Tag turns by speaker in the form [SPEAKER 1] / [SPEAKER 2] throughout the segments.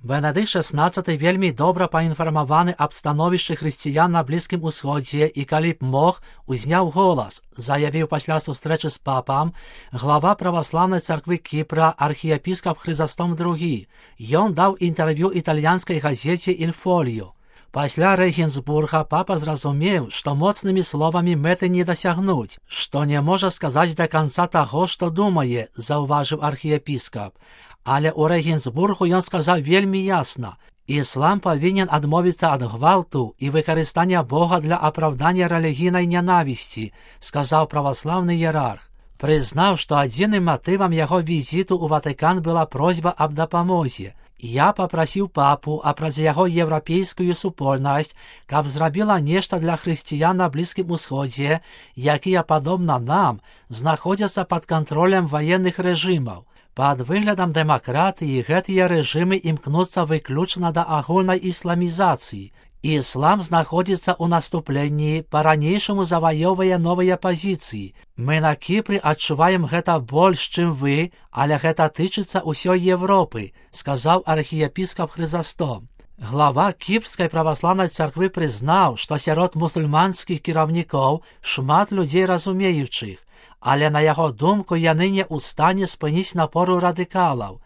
[SPEAKER 1] Бенедикт XVI вельмі добра паінфармаваны аб становішчы хрысціян на Блізкім Усходзе і калі б мог, узняў голас, заявіў пасля сустрэчы з папам глава праваслаўнай царквы Кіпра архіепіскап Хрызастом II. Ён даў інтэрв'ю італьянскай газеце «Інфоліо». Пасля Рэгенсбурга папа зразумеў, што моцнымі словамі мэты не дасягнуць, што не можа сказаць да канца таго, што думае, заўважыў архіепіскап. Але ў Рэгенсбургу ён сказаў вельмі ясна: іслам павінен адмовіцца ад гвалту і выкарыстання Бога для апраўдання рэлігійнай нянавісці, сказаў праваслаўны іерарх. Прызнаў, што адзіным матывам яго візіту ў Ватыкан была просьба аб дапамозе. Я папрасіў папу, а праз яго еўрапейскую супольнасць, каб зрабіла нешта для хрысціян на Блізкім Усходзе, якія, падобна нам, знаходзяцца пад кантролем ваенных рэжымаў. Пад выглядам дэмакратыі гэтыя рэжымы імкнуцца выключна да агульнай ісламізацыі. Іслам знаходзіцца ў наступленні, па-ранейшаму заваёўвае новыя пазіцыі. Мы на Кіпры адчуваем гэта больш, чым вы, але гэта тычыцца ўсёй Европы, сказаў архіепіскап Хрызастом. Глава Кіпрскай праваслаўнай царквы прызнаў, што сярод мусульманскіх кіраўнікоў шмат людзей разумеючых, але на яго думку яны не ў стане спыніць напору радыкалаў.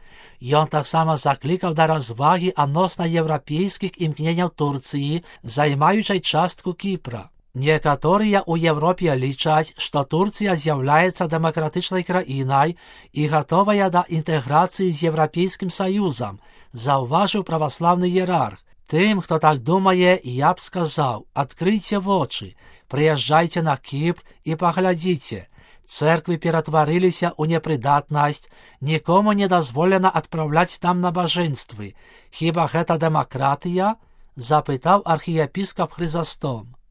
[SPEAKER 1] Ён таксама заклікаў да развагі адносна еўрапейскіх імкненняў Турцыі, займаючай частку Кіпра. Некаторыя ў Европе лічаць, што Турцыя з'яўляецца дэмакратычнай краінай і гатовая да інтэграцыі з Еўрапейскім Саюзам, заўважыў праваслаўны іерарх. Тым, хто так думае, я б сказаў: адкрыйце вочы, прыязджайце на Кіпр і паглядзіце. Цэрквы ператварыліся ў непрыдатнасць, нікому не дазволена адпраўляць там набажэнствы. Хіба гэта дэмакратыя? Запытаў архіепіскап Хрызастом.